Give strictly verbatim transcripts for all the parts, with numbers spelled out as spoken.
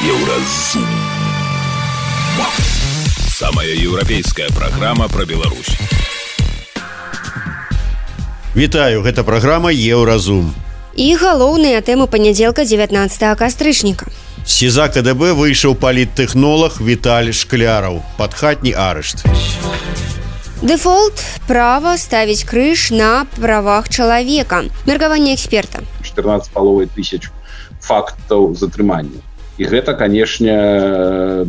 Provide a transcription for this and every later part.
Еўразум. Самая еўрапейская праграма пра Беларусь. Вітаю, гэта праграма Еўразум. І галоўныя тэмы панядзелка дзевятнаццатага кастрычніка. З СІЗА КДБ выйшаў паліттэхнолаг Віталь Шкляраў. Падхатні арышт. Дэфолт – права ставіць крыж на правах чалавека. Меркаванне эксперта. чатырнаццаць з паловай тысяч фактаў затрымання. І гэта, канешне,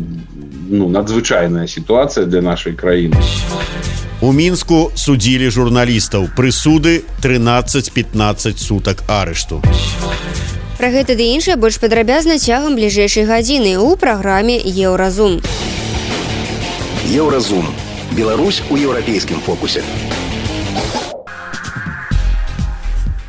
ну, надзвычайная сітуацыя для нашай краіны. У Мінску судзілі журналістаў. Прысуды трынаццаць-пятнаццаць сутак арышту. Пра гэта ды іншае больш падрабязна цягам бліжэйшай гадзіны ў праграме Еўразум. Еўразум. Беларусь у еўрапейскім фокусе.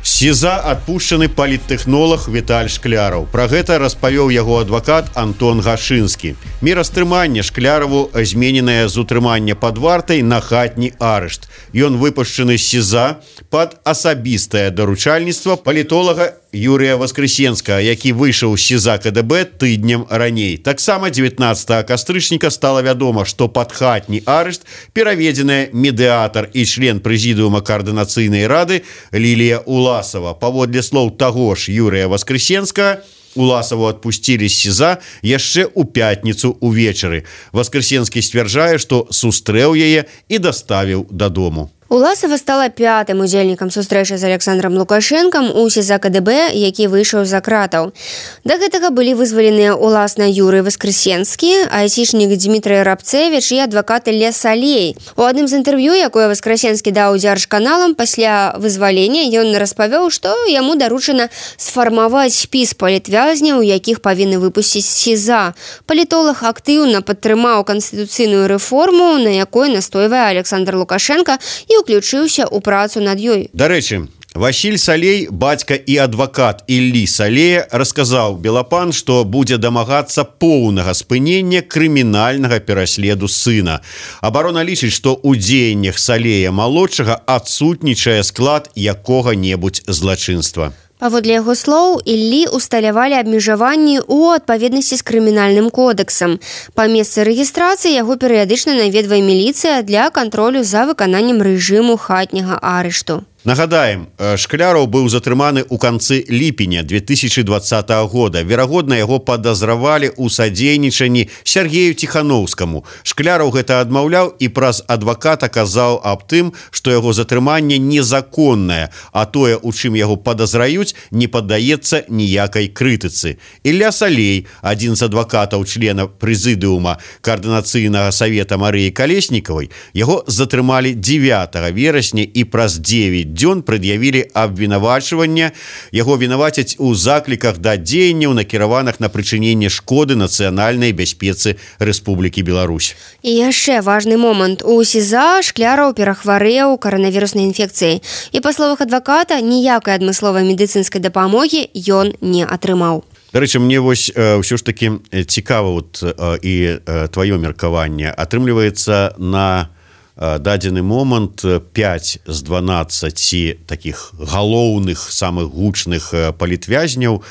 З СІЗА адпушчаны паліттэхнолаг Віталь Шкляраў. Пра гэта распавёў яго адвакат Антон Гашынскі. Мера стрымання Шкляраву змененая з утрымання пад вартай на хатні арышт. Ён выпушчаны з СІЗА пад асабістае даручальніцтва палітолага Юрія Воскресенскага, які выйшаў з СІЗА КДБ тыднем раней. Таксама дзевятнаццатага кастрычніка стала вядома, што пад хатні арышт пераведзеная медыятар і член прэзідыума каардынацыйнай рады Лілія Уласова. Паводле слоў таго ж Юрія Воскресенскага, Уласаву адпусцілі з СІЗА яшчэ ў пятніцу ўвечары. Воскресенскі сцвярджае, што сустрэў яе і даставіў дадому. Уласава стала пятым удзельнікам сустрэчы з Александром Лукашэнкам у СІЗА КДБ, які выйшаў за кратаў. Да гэтага былі вызваленыя уласна Юрый Воскресенскі, айцішнік Дмітрый Рабцевіч і адвакат Ілля Салей. У адным з інтэрв'ю, якое Воскресенскі даў дзяржканалам пасля вызвалення, ён распавёў, што яму даручана сфармаваць спіс палітвязняў, якіх павінны выпусціць з СІЗА. Палітолог актыўна падтрымаў канстытуцыйную рэформу, на якой настойвае Александр Лукашенко, і уключыўся ў працу над ёй. Дарэчы, Васіль Салей, бацька і адвакат Іллі Салея, расказаў Белапан, што будзе дамагацца поўнага спынення крымінальнага пераследу сына. Абарона лічыць, што ў дзеяннях Салея-малодшага адсутнічае склад якога-небудзь злачынства. Паводле яго слоў, Іллі усталявалі абмежаванні ў адпаведнасці з крымінальным кодэксам. Па месцы рэгістрацыі яго перыядычна наведвае міліцыя для кантролю за выкананнем рэжыму хатняга арышту. Нагадаем, Шкляраў быў затрыманы ў канцы ліпеня две тысячы дваццатага года. Верагодна, яго падазравалі ў садзейнічанні Сергею Ціханоўскаму. Шкляраў гэта адмаўляў і праз адваката казаў аб тым, што яго затрыманне незаконнае, а тое, у чым яго падазраюць, не паддаецца ніякай крытыцы. Ілля Салей, адзін з адвакатаў члена прэзідыума каардынацыйнага савета Марыі Калеснікавай, яго затрымалі дзевятага верасня і праз дзевяць дзён прад'явілі абвінавачвання. Яго вінавацяць у закліках да дзеянняў, накіраваных на прычыненне шкоды нацыянальнай бяспецы Рэспублікі Беларусь. І яшчэ важны момант. У СІЗА Шкляраў перахварэў каранавіруснай інфекцыяй. І па словах адваката, ніякай адмысловай медыцынскай дапамогі ён не атрымаў. Дарэчы, мне вось э, ўсё ж такі цікава вот, э, і э, тваё меркаванне. Атрымліваецца на дадзены момант пяць з дванаццаці такіх галоўных, самых гучных палітвязняў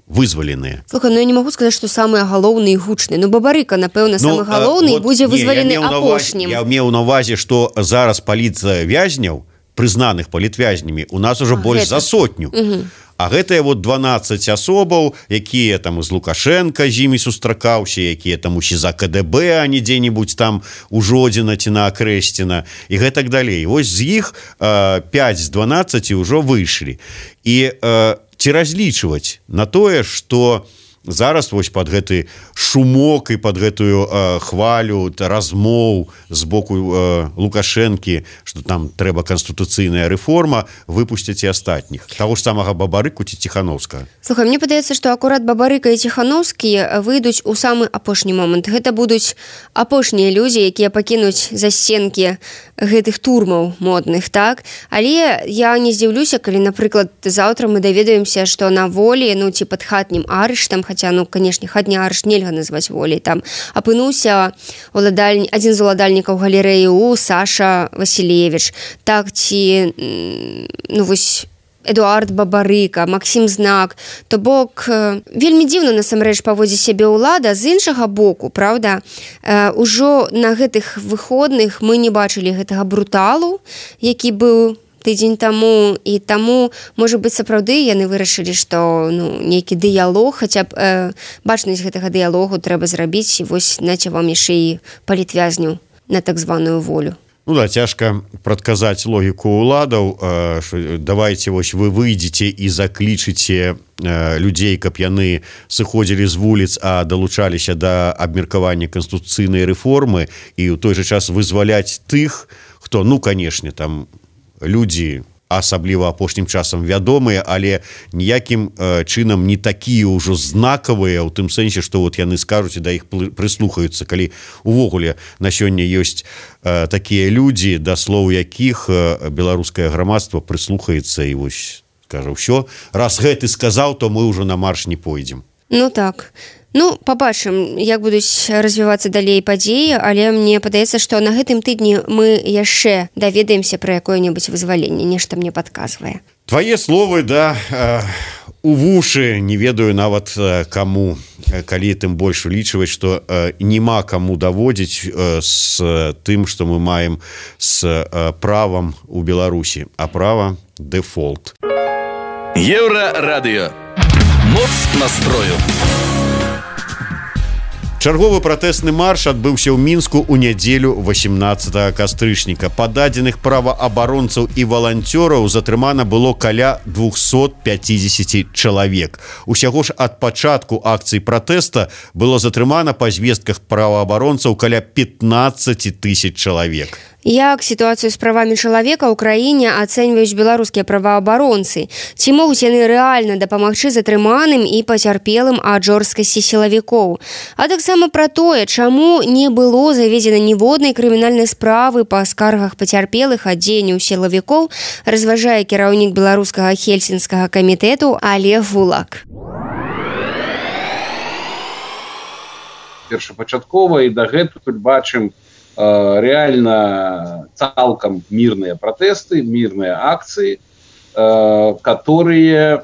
вызваленыя. Слухай, ну я не магу сказаць, што самыя галоўныя і гучныя. Ну Бабарыка, напэўна, самы галоўны вот, будзе вызвалены апошнім. Я меў на ўвазе, што зараз палітвязняў, прызнаных палітвязнямі, у нас ужо больш за сотню. Угу. А гэтыя вот дванаццаць асобаў, якія там з Лукашенка з імі сустракаўся, якія там у СІЗА КДБ, а не дзе-небудзь там у Жодзіна ці на Акрэсціна і гэтак далей. Вось з іх э, пяць з дванаццаці ўжо выйшлі. І э, ці разлічваць на тое, што зараз вось пад гэты шумок і пад гэтую э, хвалю размоў з боку э, Лукашэнкі, што там трэба канстытуцыйная рэформа, выпусцяць і астатніх. Таго ж самага Бабарыку ці Ціханоўскага. Слухай, мне падаецца, што акурат Бабарыка і Ціханоўскі выйдуць у самы апошні момант. Гэта будуць апошнія людзі, якія пакінуць засценкі гэтых турмаў модных, так? Але я не здзіўлюся, калі, напрыклад, заўтра мы даведаемся, што на волі, ну, ці пад хатнім арыштам, хаця, ну, канешне, хатні арышт нельга назваць волей, там апынуўся уладальні... адзін з уладальнікаў галерэі у Саша Васілевіч. Так, ці, ну, вось, Эдуард Бабарыка, Максім Знак. То бок вельмі дзіўна насамрэч паводзіць сябе ўлада з іншага боку, правда? Э, ужо на гэтых выходных мы не бачылі гэтага бруталу, які быў тыдзень таму, і таму, можа быць, сапраўды яны вырашылі, што ну, нейкі дыялог, хаця б э, бачнасць гэтага дыялогу трэба зрабіць, і вось наце вам яшчэ і палітвязню на так званую волю. Ну да, цяжка прадказаць логіку ўладаў, э, давайте вось вы выйдзеце і заклічыце э, людзей, каб яны сыходзілі з вуліц, а далучаліся да абмеркавання канстытуцыйнай рэформы, і ў той жа час вызваляць тых, хто, ну, канешне, там людзі асабліва апошнім часам вядомыя, але ніякім э, чынам не такія ўжо знакавыя, ў тым сэнсе, што вот яны скажуць і да іх прыслухаюцца, калі увогуле на сёння ёсць э, такія людзі, да слоў якіх э, беларускае грамадства прыслухаецца і вось скажа ўсё, раз гэты сказаў, то мы ўжо на марш не пойдзем. Ну так. Ну, пабачым, як будуць развівацца далей падзеі, але мне падаецца, што на гэтым тыдні мы яшчэ даведаемся пра якое-небудзь вызваленне, нешта мне падказвае. Твае словы, да, э, у вушы, не ведаю нават э, каму, калі тым больш улічваць, што э, няма каму даводзіць э, з тым, што мы маем з э, правам у Беларусі, а права дэфолт. Еўрарадыё. Моц настрою. Чарговы пратэсны марш адбыўся ў Мінску ў нядзелю васемнаццатага кастрычніка. Па дадзеных праваабаронцаў і валанцёраў затрымана было каля двухсот пяцідзесяці чалавек. Усяго ж ад пачатку акцыі пратэста было затрымана па звестках праваабаронцаў каля пятнаццаць тысяч чалавек. Як сітуацыю з правамі чалавека ў краіне ацэньваюць беларускія праваабаронцы? Ці могуць яны рэальна дапамагчы затрыманым і пацярпелым ад жорсткасці сілавікоў? А таксама пра тое, чаму не было заведзена ніводнай крымінальнай справы па скаргах пацярпелых ад дзеянняў сілавікоў, разважае кіраўнік беларускага хельсінскага камітэту Олег Вулак. Першапачаткова і дагэтуль бачым реально цалком мирные протесты, мирные акции, которые,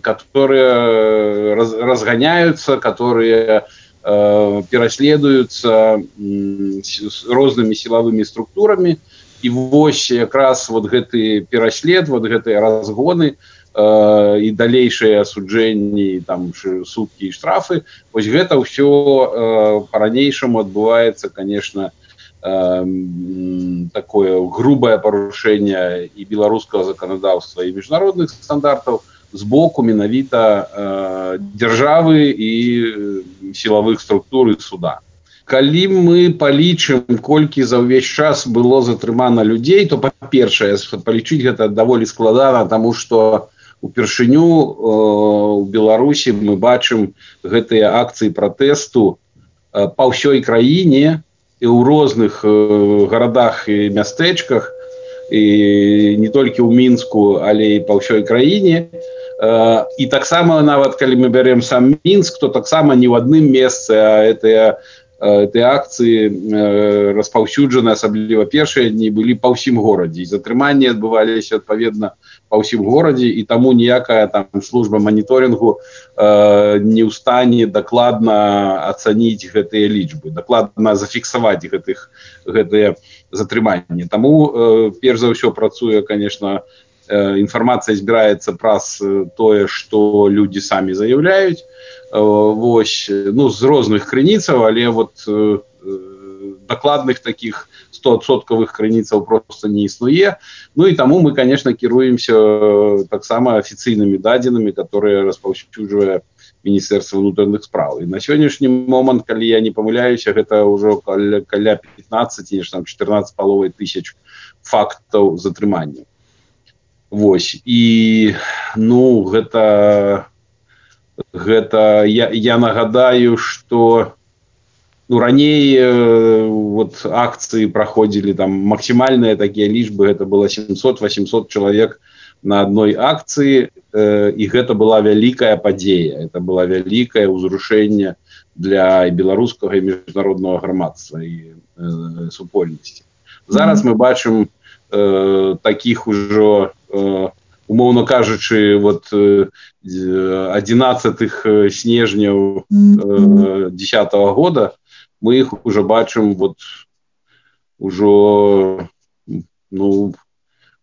которые разгоняются, которые переследуются разными силовыми структурами. И вось якраз вот гэты переслед, вот гэтыя разгоны і далейшыя асуджэнні, там суткі і штрафы, вось гэта ўсё па-ранейшаму адбываецца, конечно, такое грубое парушэнне і беларускага заканадаўства і міжнародных стандартаў з боку менавіта дзяржавы і сілавых структур і суда. Калі мы палічым, колькі за ўвесь час было затрымана людзей, то, па-першае, палічыць гэта даволі складана, таму што упершыню у Беларусі мы бачым гэтыя акцыі пратэсту па ўсёй краіне і ў розных гарадах і мястэчках, і не толькі ў Мінску, але і па ўсёй краіне. І таксама нават калі мы бярем сам Мінск, то таксама не ў адным месцы, а гэтыя этой акции распаўсюджаны, асабліва першыя дні, былі па ўсім горадзе. І затрыманні адбываліся адпаведна па ўсім горадзе, і таму ніякая там служба маніторынгу э, не ў стане дакладна ацаніць гэтыя лічбы, дакладна зафіксаваць гэтых гэтыя затрыманні. Таму э, перш за ўсё працуе, конечно, э, інфармацыя збіраецца праз тое, што людзі самі заяўляюць. Вось, ну, з розных крыніцаў, але вот э, дакладных таких стопроцентовых крыніцаў просто не існуе. Ну і таму мы, конечно, кіруемся таксама афіцыйнымі дадзенымі, которые распаўсюджвае Міністэрства ўнутраных спраў. І на сённяшні момант, калі я не памыляюся, гэта ўжо каля, каля пятнадцать, там чатырнаццаць з паловай тысяч фактаў затрымання. Вось, і ну, гэта Гэта я, я нагадаю, што ну, раней э, вот, акцыі праходзілі там максімальныя такія лічбы, гэта было семьсот-восемьсот чалавек на адной акцыі, э, і гэта была вялікая падзея, это была вялікае ўзрушэнне для беларускага і міжнароднага грамадства і э, супольнасці. Зараз мы бачым э, такіх ужо э, умоўна кажучы, вот одиннадцатых снежняў десятого года мы их уже бачым вот ужо ну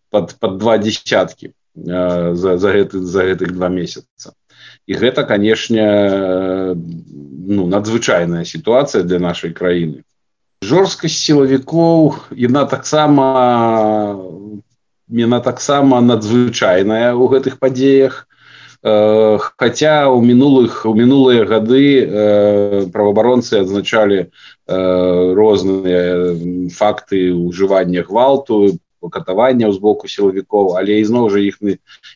под под два десяткі за за гэты за гэтых два месяца. І гэта, канешне, ну надзвычайная сітуацыя для нашай краіны. Жорсткасць сілавікоў яна таксама яна таксама надзвычайная ў гэтых падзеях. Хаця ў минулых у мінулыя гады праваабаронцы адзначалі розныя факты ўжывання гвалту, катавання з боку сілавікоў, але ізноў жа іх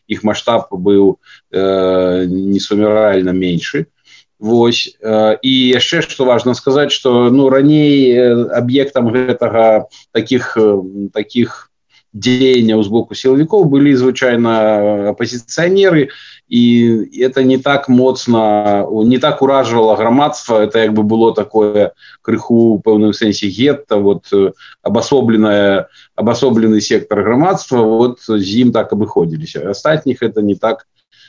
іх маштаб быў несумяральна меншы. Вось, і яшчэ што важна сказаць, што ну раней аб'ектам гэтага такіх такіх дзеянняў з боку сілавікоў былі звычайна апазіцыянеры, і это не так моцна, не так уражвала грамадства, это як бы было такое крыху ў пэўным сэнсе гетта, вот абасобленая абасоблены сектор грамадства, вот з ім так абыходзіліся. Астатніх это не так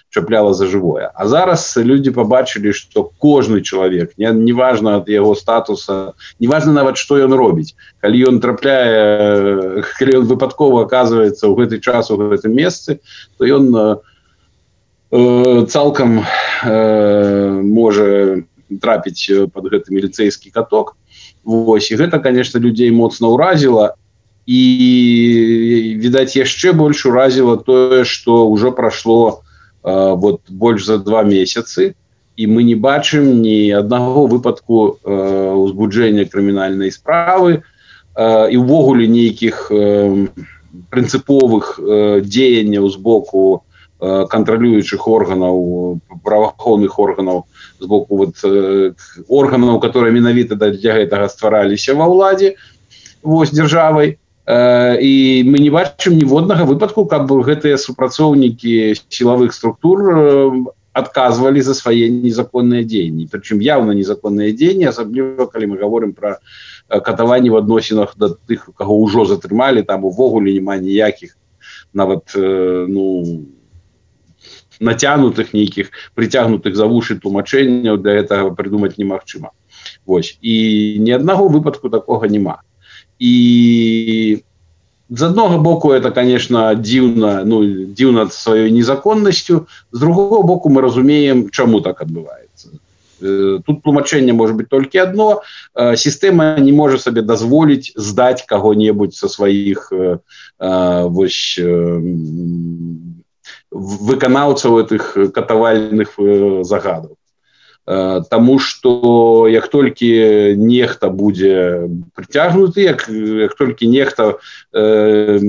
чапляла за жывое. А зараз люди побачили, что кожны чалавек, не, не важно от яго статуса, не важно нават, што ён робіць. Калі ён трапляе, калі ён выпадкова оказывается ў гэты час у гэтым месцы, то ён э, цалкам э, можа трапіць под гэты міліцэйскі каток. Вось, і гэта, конечно, людзей моцна ўразіла. І, відаць, яшчэ больш уразіла тое, што ўжо прашло вот больш за два месяцы, і мы не бачым ні аднаго выпадку э, узбуджэння крымінальнай справы э, і ўвогуле нейкіх э, прынцыповых э, дзеянняў з боку э, кантралюючых органаў, праваахоўных органаў, з боку вот, э, органаў, которые менавіта для гэтага ствараліся ва ўладзе, вось, дзяржавай. І мы не бачым ніводнага выпадку, каб гэтыя супрацоўнікі сілавых структур адказвалі за свае незаконныя дзеянні. Прычым явна незаконныя дзеянні, асабліва калі мы гаворым пра катаванні в адносінах да тых, каго ўжо затрымалі, там увогуле няма ніякіх нават ну нацягнутых нейкіх прыцягнутых за вушы тлумачэнняў, для гэтага прыдумаць немагчыма. Вось, і ні аднаго выпадку такога няма. І з аднаго боку это, конечно, дзіўна, ну, дзіўна сваёй незаконнасцю, з другого боку мы разумеем, чаму так адбываецца. Тут тлумачэнне можа быць толькі адно. Сістэма не можа сабе дазволіць здаць каго-небудзь са сваіх вось выканаўцаў гэтых катавальных загадаў. Таму што як толькі нехта будзе прыцягнуты, як, як толькі нехта э,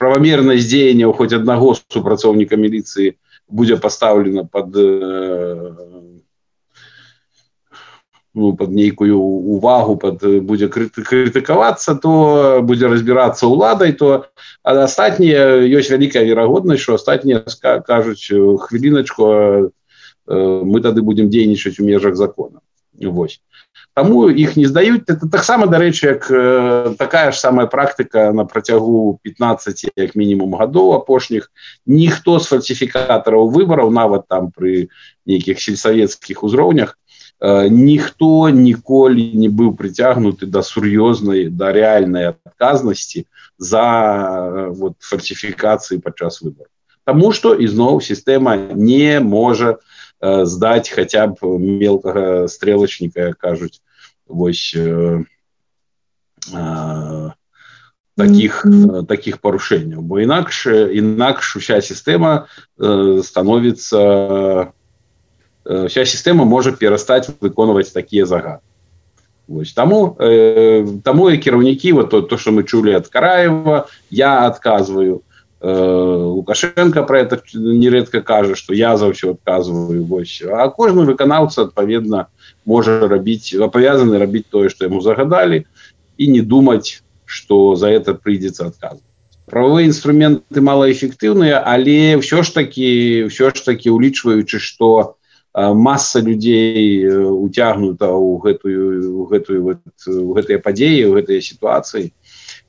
правамернасць дзеянняў хоць аднаго супрацоўніка міліцыі будзе пастаўлена пад, э, ну, пад нейкую увагу, пад, будзе крытыкавацца, то будзе разбірацца ўладай, то астатнія ёсць вялікая верагоднасць, што астатнія кажуць хвіліначку, мы тады будем дзейнічаць у межах закона. Вось. Таму іх не здаюць. Это таксама, дарэчы, як такая ж самая практыка на працягу пятнаццаці як мінімум гадоў апошніх. Ніхто з фальсіфікатараў выбараў, нават там пры нейкіх сельсавецкіх узроўнях, ніхто ніколі не быў прыцягнуты да сур'ёзнай, да рэальнай адказнасці за вот, фальсіфікацыі падчас выбараў. Таму што, ізноў, сістэма не можа здаць хаця б мелкага стрелачніка, як кажуць, вось э, э, таких, mm-hmm. таких парушэнняў. Бо інакш, інакш уся сістэма э, становіцца, э, вся сістэма можа перастаць выконваць такія загады. Вось. Таму, э, таму і кіраўнікі, вот то, то, што мы чулі ад Караева, я адказваю. Лукашенко про это нередко кажа, что я за все отказываю. Вось. А кожны выканаўца, адпаведна, можа рабіць, абавязаны рабіць тое, што яму загадалі, і не думаць, што за это прыйдзецца адказваць. Правовыя інструменты малаэфектыўныя, але ўсё ж такі, ўсё ж такі улічваючы, што маса людзей уцягнута ў гэтую, ў гэтую, ў гэтыя падзеі, ў гэтыя сітуацыі,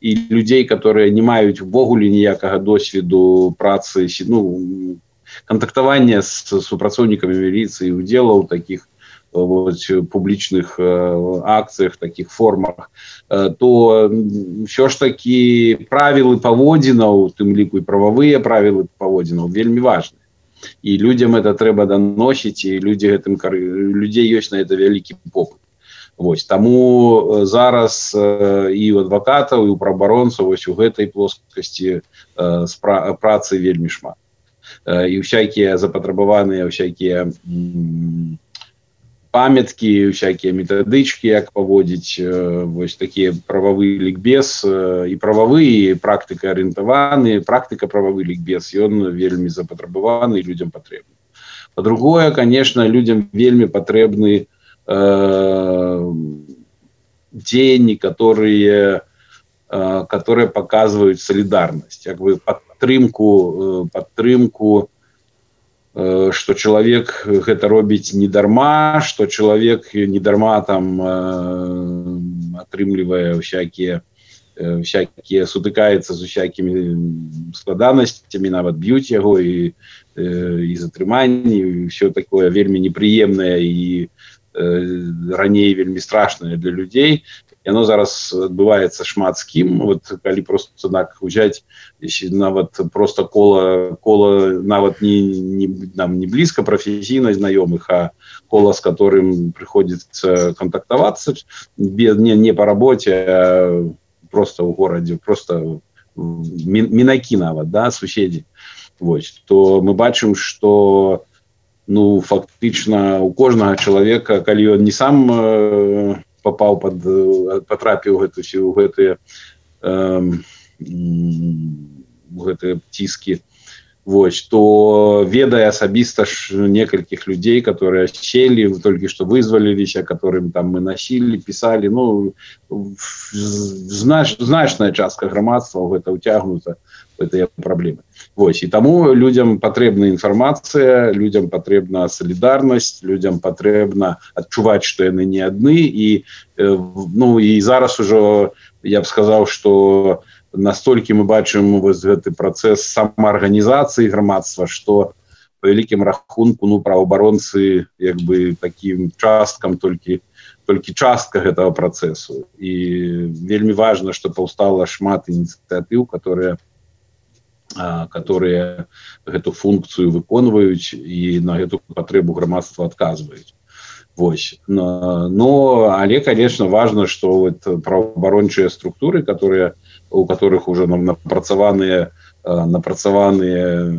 і людзей, которые не маюць увогуле ніякага досведу працы, ну, кантактавання з супрацоўнікамі міліцыі, удзела ў такіх вот, публічных акцыях, таких формах, то все ж таки правілы паводзінаў, тым ліку і прававыя правілы паводзінаў вельмі важны. І людям это трэба даносіць, і людзі гэтым людзей ёсць на это вялікі попыт. Вось, таму зараз і ў адвакатаў, і ў праваабаронцаў вось у гэтай плоскасці працы вельмі шмат. І всякія запатрабаваныя всякія памяткі, всякія метадычкі, як паводзіць вось такія прававы лікбез, і прававы, і практыка арыентаваны, практыка прававы лікбез, ён вельмі запатрабаваны, людям патрэбны. Па-другое, конечно, людям вельмі патрэбны э, дзеянні, которые, э, которые показывают солидарность, как бы падтрымку, падтрымку, что человек гэта робіць не дарма, что человек не дарма там э, атрымлівае всякие всякие сутыкаецца з усякімі складанасцямі, нават б'юць яго і і затрыманні, і все такое вельмі непрыемнае і э, раней вельмі страшнае для людзей. Яно зараз адбываецца шмат з кім. Вот калі просто так узяць нават просто кола кола нават не не нам не блізка прафесійна знаёмых, а кола, з которым прыходзіцца кантактавацца без не не по работе, а просто ў горадзе, просто мінакі нават, да, суседзі. Вось, то мы бачым, что ну фактычна у кожнага чалавека, калі ён не сам э, попаў под потрапіў гэту у гэтыя э, гэтыя ціски, вось, то ведае асабіста ж некалькіх людзей, которые сели, только что вызваліліся, которым там мы носили, писали, ну знач, значная частка грамадства ў гэта ўцягнута в гэтыя праблемы. Вось, і таму людям патрэбна інфармацыя, людям патрэбна солідарнасць, людям патрэбна адчуваць, што яны не адны, і ну і зараз ужо я б сказаў, што настолькі мы бачым вось гэты працэс самаарганізацыі грамадства, што по вялікім рахунку ну праваабаронцы як бы такім часткам толькі толькі частка гэтага працэсу. І вельмі важна, што паўстала шмат ініцыятыў, которые которые гэту функцыю выконваюць і на гэту патрэбу грамадства адказваюць. Вось. Но, но але, конечно, важно, что вот праваабарончыя структуры, которые, у которых уже напрацаваныя напрацаваныя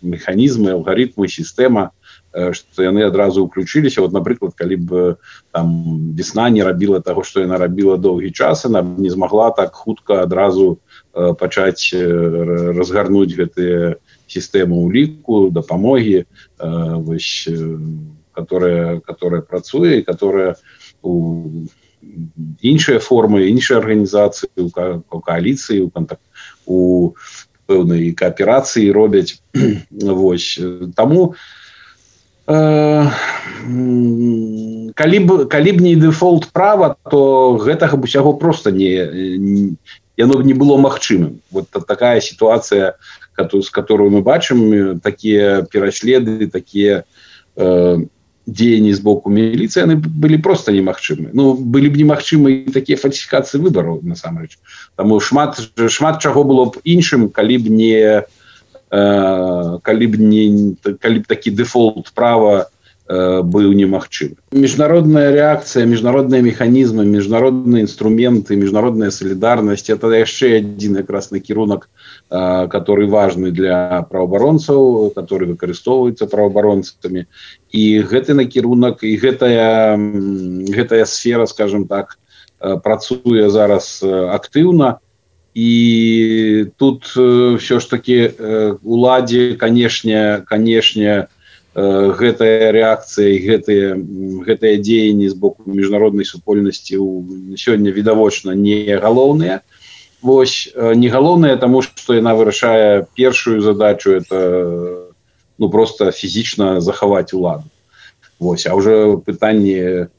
механізмы, алгаритмы, сістэма, што яны адразу ўключыліся. Вот, напрыклад, калі б там весна не рабіла таго, што яна рабіла доўгі час, она не змагла так хутка адразу пачаць разгарнуць гэтыя сістэмы ўліку, дапамогі, вось, которая, которая працуе, і которая у іншыя формы, іншыя арганізацыі, у, у кааліцыі, у, контакт, у пэўнай кааперацыі робяць. Вось. Таму э, калі б, калі б не дэфолт права, то гэтага б усяго проста не, не яно б не было магчымым. Вот такая сітуацыя, з которую мы бачым, такія пераследы, такія э, дзеянні з боку міліцыі, яны былі просто немагчымы. Ну, былі б немагчымы і такія фальсіфікацыі выбараў, насамрэч. Таму шмат, шмат чаго было б іншым, калі б не, э, калі б не калі б такі дэфолт права э, быў немагчымы. Міжнародная рэакцыя, міжнародныя механізмы, міжнародныя інструменты, міжнародная солідарнасць — это яшчэ адзін якраз накірунак, э, который важны для праваабаронцаў, который выкарыстоўваецца праваабаронцамі. І гэты накірунак, і гэтая, гэтая сфера, скажем так, працуе зараз актыўна. І тут все ж таки уладзе, канешне, канешне, гэтая рэакцыя і гэтыя, гэтыя дзеянні з боку міжнароднай супольнасці сёння відавочна не галоўныя. Вось, не галоўныя, таму што яна вырашае першую задачу, это ну, просто фізічна захаваць уладу. Вось, а ўжо пытанне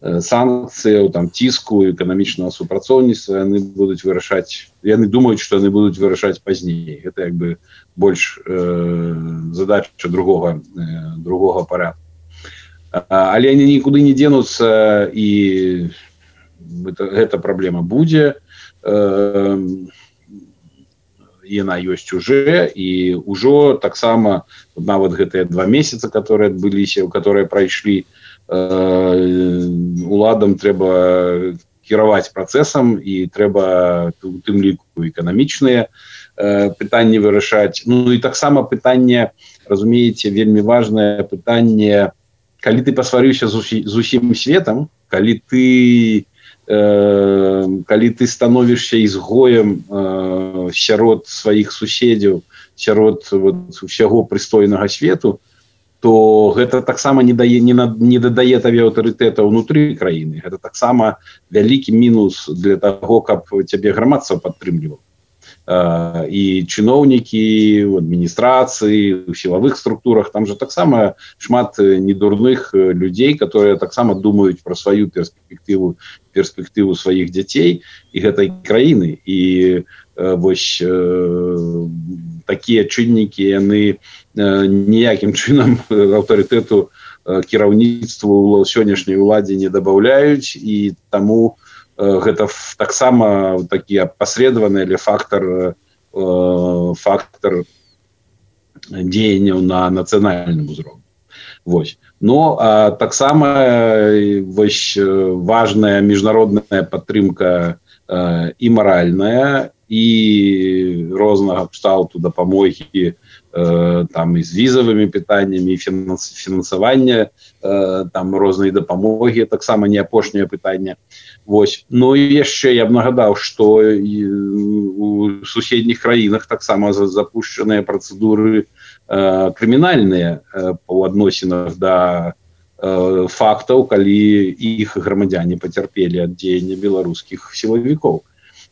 санкцыяў, там ціску, эканамічнага супрацоўніцтва яны будуць вырашаць. Яны думаюць, што яны будуць вырашаць пазней. Гэта як бы больш э, задача другога э, другога парядку. Але они нікуды не денуцца, і гэта, гэта праблема будзе. Яна ёсць уже, і ўжо таксама нават гэтыя два месяцы, которые адбыліся, которые прайшлі, уладам трэба кіраваць працэсам, і трэба у тым ліку эканамічныя пытанні вырашаць. Ну і таксама пытанне, разумееце, вельмі важнае пытанне, калі ты пасварыўся з усім светам, калі ты, э, калі ты становішся ізгоем э, сярод сваіх суседзяў, сярод вот, усяго прыстойнага свету, то гэта таксама не дае, не, на, не дадае табе аўтарытэта ўнутры краіны. Гэта таксама вялікі мінус для таго, каб цябе грамадства падтрымлівала. І чыноўнікі у адміністрацыі, у сілавых структурах, там же таксама шмат недурных людзей, которые таксама думаюць пра сваю перспектыву, перспектыву сваіх дзяцей і гэтай краіны. І вось такія чыннікі, яны ніякім чынам аўтарытэту кіраўніцтву сённяшняй уладзе не дабаўляюць, і таму гэта таксама такі апасредаваны але фактор, фактор дзеянняў на нацыянальным узроўні. Вось. Но а, таксама вось, важная міжнародная падтрымка а, і маральная, і рознага кшталту дапамогі, там і з візавымі пытаннямі, фінансавання, там розныя дапамогі, таксама не апошняе пытанне. Вось. Ну і яшчэ я б нагадаў, што у суседніх краінах таксама запушчаныя працэдуры крымінальныя па адносінах да фактаў, калі іх грамадзяне пацярпелі ад дзеяння беларускіх сілавікоў.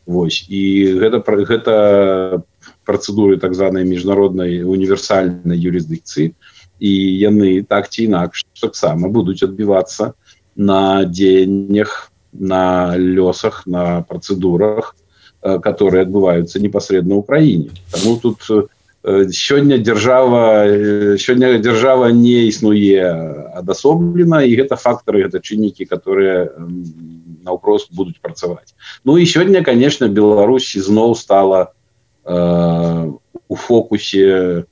Вось. І гэта, гэта працэдуры так званай міжнароднай універсальнай юрысдыкцыі, і яны так ці інакш таксама будуць адбівацца на дзеяннях, на лёсах, на працэдурах, которые адбываюцца непасрэдна ў краіне. Таму тут сёння дзяржава, сёння дзяржава не існуе адасоблена, і гэта фактары, гэта чыннікі, которые наўпрост будуць працаваць. Ну і сёння, конечно, Беларусь зноў стала э, у фокусе э,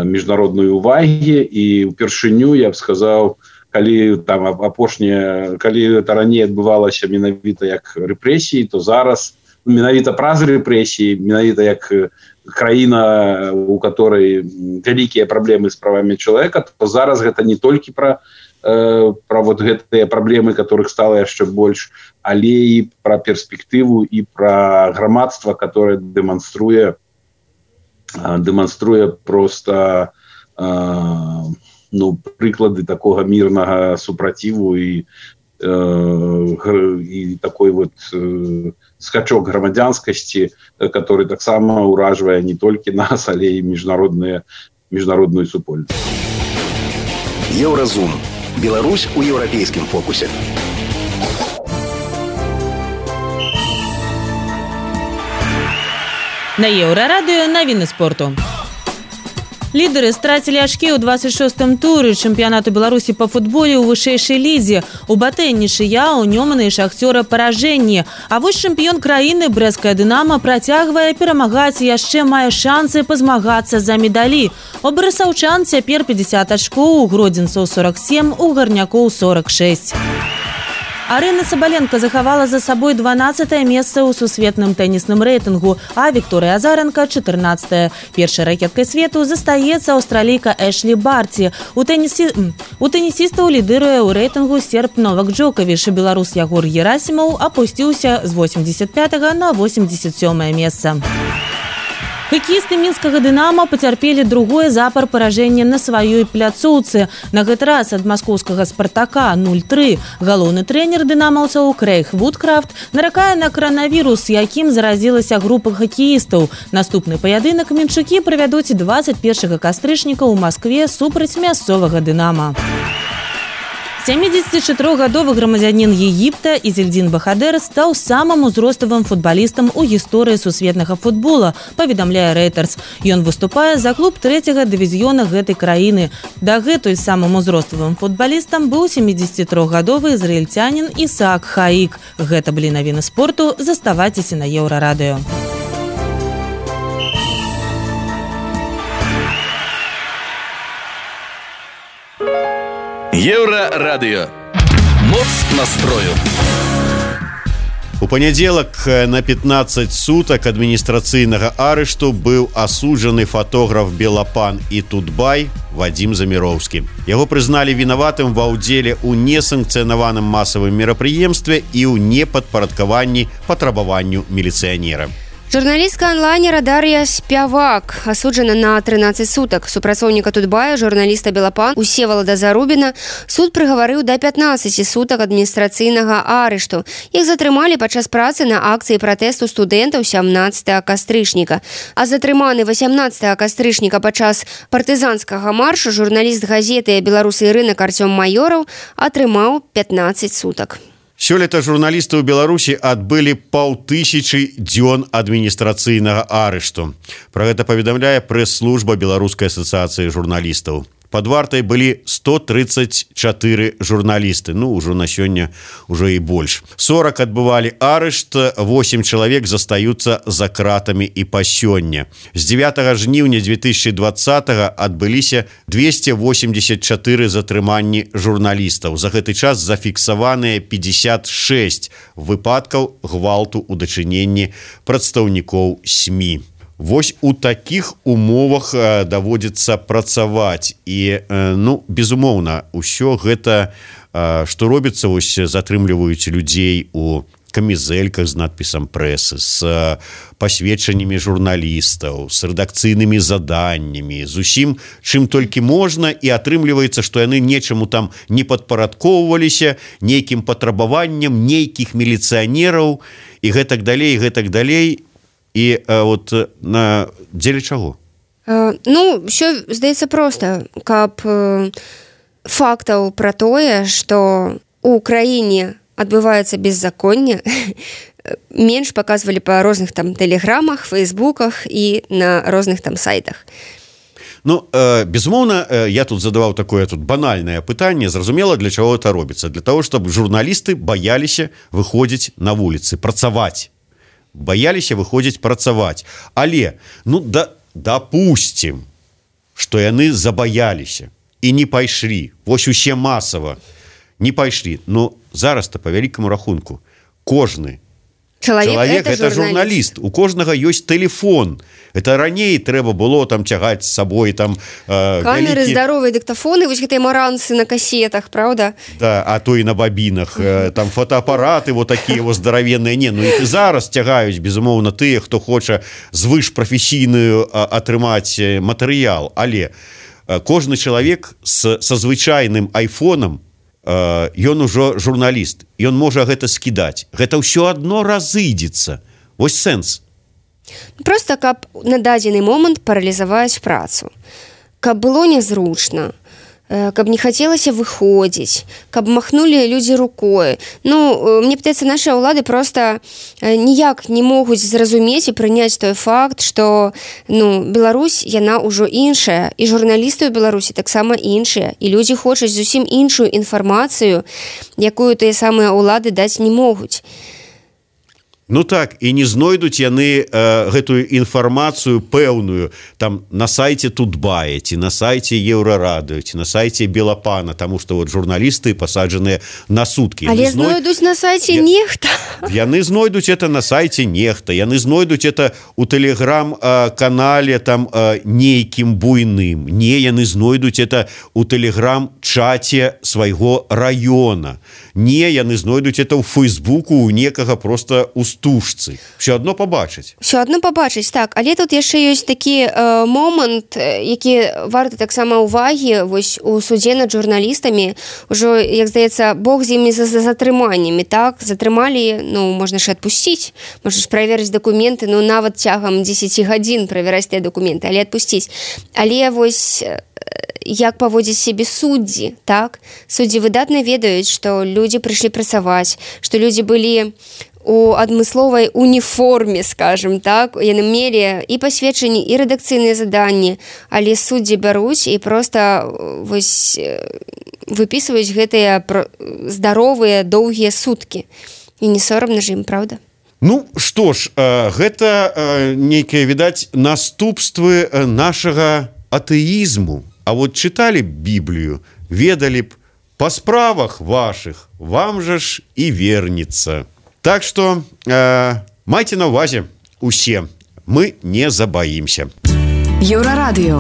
міжнародной увагі, і ўпершыню, я б сказаў, калі там апошняе, калі это раней адбывалася менавіта як рэпрэсіі, то зараз менавіта праз рэпрэсіі, менавіта як краіна, у которой вялікія праблемы з правамі чалавека, то зараз гэта не толькі пра пра вот гэтыя праблемы, которых стала яшчэ больш, але і пра перспектыву, і пра грамадства, которое дэманструе дэманструе просто ну, прыклады такога мірнага супраціву і, і такой вот скачок грамадзянскасці, который таксама ўражвае не толькі нас, але і міжнародную міжнародную супольнасць. Еўразум. Беларусь у еўрапейскім фокусе. На Еўрарадыё навіны спорту. Лідары страцілі ачкі ў двадцать шостым туры чэмпіянату Беларусі па футболе ў вышэйшай лідзе. У батэ нічыя, у Нёмана і Шахцёра паражэнні. А вось чэмпіён краіны брэсцкая «Дынама» працягвае перамагаць і яшчэ мае шансы пазмагацца за медалі. У барысаўчан цяпер пятьдесят ачкоў, у гродзенцаў сорок семь, у гарнякоў сорок шесть. Арына Сабаленко захавала за сабой дванаццатае месца ў сусветным тэнісным рэйтынгу, а Вікторыя Азаренка – чатырнаццатая. Першай ракеткай свету застаецца аўстралійка Эшлі Барці. У, тэнісі... у тэнісістаў лідыруе ў рэйтынгу серб Новак Джокавіч. Беларус Ягор Герасімаў апусціўся з восемьдесят пятага на восемьдесят сёмае месца. Хакеісты мінскага «Дынама» пацярпелі другое запар паражэнне на сваёй пляцоўцы. На гэты раз ад маскоўскага «Спартака» нуль тры. Галоўны трэнер дынамаўцаў Крэйг Вудкрафт наракае на каранавірус, якім заразілася група хакеістаў. Наступны паядынак мінчукі правядуць двадцать першага кастрычніка ў Маскве супраць мясцовага «Дынама». сямідзесятычатырохгадовы грамадзянін Егіпта Изельдин Бахадер стаў самым узроставым футбалістам у гісторыі сусветнага футбола, паведамляе Reuters. Ён выступае за клуб трэцяга дывізіёна гэтай краіны. Дагэтуль самым узроставым футбалістам быў сямідзесятытрохгадовы ізраільцянін Ісаак Хаік. Гэта былі навіны спорту. Заставайцеся на Еўрарадыё. Еўрарадыё. Моц настрою. У панядзелак на пятнаццаць сутак адміністрацыйнага арышту быў асуджаны фотограф Белапан і Тутбай Вадзім Заміроўскі. Яго прызналі вінаватым ва ўдзеле ў несанкцыянаваным масавым мерапрыемстве і ў непадпарадкаванні патрабаванню міліцыянера. Журналістка онлайнера Дар'я Спявак асуджана на трынаццаць сутак. Супрацоўніка Тутбая, журналіста Белапан Усевалада Зарубіна суд прыгаварыў да пятнаццаці сутак адміністрацыйнага арышту. Іх затрымалі падчас працы на акцыі пратэсту студэнтаў сямнаццатага кастрычніка. А затрыманы васямнаццатага кастрычніка падчас партызанскага маршу журналіст газеты «Беларусы і рынак» Артём Майораў атрымаў пятнаццаць сутак. Сёлета журналісты ў Беларусі адбылі паўтысячы дзён адміністрацыйнага арышту. Пра гэта паведамляе прэс-служба Беларускай асацыяцыі журналістаў. Пад вартай былі сто трыццаць чатыры журналісты, ну, ўжо на сёння ўжо і больш. сорок адбывалі арышт, восемь чалавек застаюцца за кратамі і па сёння. З дзевятага жніўня две тысячи двадцатага адбыліся двести восемьдесят чатыры затрыманні журналістаў. За гэты час зафіксаваныя пятьдесят шесть выпадкаў гвалту ў дачыненні прадстаўнікоў СМІ. Вось у такіх умовах даводзіцца працаваць і, ну, безумоўна, усё гэта, што робіцца, вось затрымліваюць людзей у камізэльках з надпісам прэсы, з пасведчаннямі журналістаў, з рэдакцыйнымі заданнямі, з усім, чым толькі можна, і атрымліваецца, што яны нечаму там не падпарадкоўваліся, нейкім патрабаванням нейкіх міліцыянераў і гэтак далей, гэтак далей. І а, от на дзеля чаго? Uh, ну, ўсё здаецца проста, каб uh, фактаў пра тое, што ў краіне адбываецца беззаконне, менш паказвалі па розных там тэлеграмах, фейсбуках і на розных там сайтах. Ну, э, безумоўна, э, я тут задаваў такое тут банальнае пытанне, зразумела, для чаго гэта робіцца? Для таго, чтобы журналісты баяліся выходзіць на вуліцы, працаваць. Баяліся выходзіць працаваць. Але, ну, да, дапусцім, што яны забаяліся і не пайшлі. Вось усе масава не пайшлі. Ну, зараз-то, па вялікаму рахунку, кожны Чалавек, чалавек это, это журналіст. журналіст. У кожнага ёсць тэлефон. Это раней трэба было там цягаць з сабой там э, камеры, вялікі... здаровыя дыктафоны, вось гэтыя маранцы на касетах, правда? Да, а то і на бабінах. Э, там фотоапараты вот такія вот здаравенныя. Не, ну іх і зараз цягаюць, безумоўна, тыя, хто хоча звышпрафесійную атрымаць матэрыял. Але э, кожны чалавек з, са звычайным айфонам, ён ужо журналіст, ён можа гэта скідаць. Гэта ўсё адно разыдзецца. Вось сэнс. Проста каб на дадзены момант паралізаваць працу. Каб было нязручна, каб не хацелася выходзіць, каб махнулі людзі рукой. Ну, мне падаецца, нашы ўлады проста ніяк не могуць зразумець і прыняць той факт, што, ну, Беларусь, яна ўжо іншая, і журналісты ў Беларусі таксама іншыя, і людзі хочуць зусім іншую інфармацыю, якую тыя самыя ўлады даць не могуць. Ну так, і не знойдуць яны э, гэтую інфармацыю пэўную там на сайце Тутбая, ці на сайце Еўрарадыё, ці на сайце Белапана, таму што вот журналісты пасаджаныя на суткі. Але зной... знойдуць на сайце Я... нехта. Яны знойдуць это на сайце нехта, яны знойдуць это у тэлеграм-канале там э, нейкім буйным. Не, яны знойдуць это у тэлеграм-чаце свайго раёна. Не, яны знойдуць это ў Фейсбуку у некага проста у стужцы. Все адно пабачыць. Все адно пабачыць, так. Але тут яшчэ ёсць такі э, момант, які варты таксама ўвагі вось у судзе над журналістамі. Ужо, як здаецца, Бог з імі за, за затрыманнямі, так? Затрымалі, ну, можна ж адпусціць, можна ж праверыць дакументы, ну, нават цягам дзесяці гадзін правяраць тыя дакументы, але адпусціць. Але вось як паводзіць сябе суддзі, так? Суддзі выдатна ведаюць, што людзі прыйшлі працаваць, што людзі былі у адмысловай уніформе, скажем так, яны мелі і пасведчанні, і рэдакцыйныя заданні, але суддзі бяруць і проста вось выпісваюць гэтыя здаровыя доўгія суткі. І не сорамна ж ім, правда? Ну, што ж, гэта нейкія, відаць, наступствы нашага атэізму. А вот чыталі б Біблію, ведалі б, па справах вашых вам жа ж і вернецца. Так што э, майце на ўвазе усе, мы не забаімся. Еўрарадыё.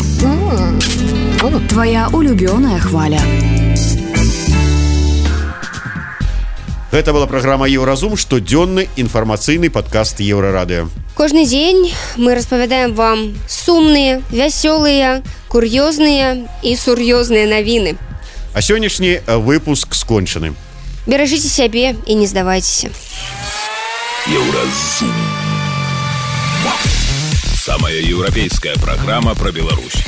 Твоя улюбёная хваля. Гэта была праграма «Еўразум», штодзённы інфармацыйны падкаст Еўрарадыё. Кожны дзень мы распавядаем вам сумныя, вясёлыя, кур'ёзныя і сур'ёзныя навіны. А сённяшні выпуск скончаны. Беражыце сябе і не здавайцеся. Еўразум. Самая еўрапейская программа про Беларусь.